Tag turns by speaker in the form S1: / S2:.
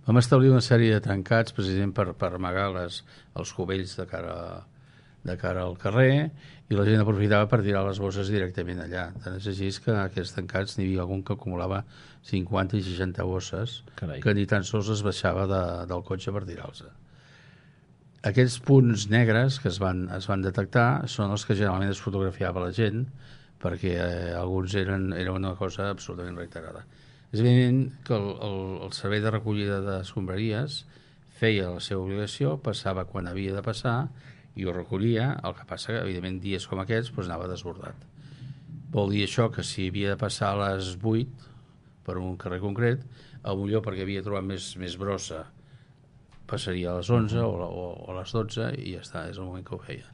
S1: Vam establir una sèrie de tancats precisament per amagar els cubells de cara al carrer, i la gent aprofitava per tirar les bosses directament allà. Tant és així que aquests tancats n'hi havia algun que acumulava 50 i 60 bosses.
S2: Carai.
S1: Que ni tan sols es baixava del cotxe per tirar-los. Aquests punts negres que es van detectar són els que generalment es fotografiava la gent, perquè alguns era una cosa absolutament reiterada. És evident que el servei de recollida d'escombraries feia la seva obligació, passava quan havia de passar i ho recollia. El que passa que, evidentment, dies com aquests anava desbordat. Vol dir això que si havia de passar a les 8 per un carrer concret, potser perquè havia trobat més brossa passaria a les 11 o a les 12 i ja està, és el moment que ho feia.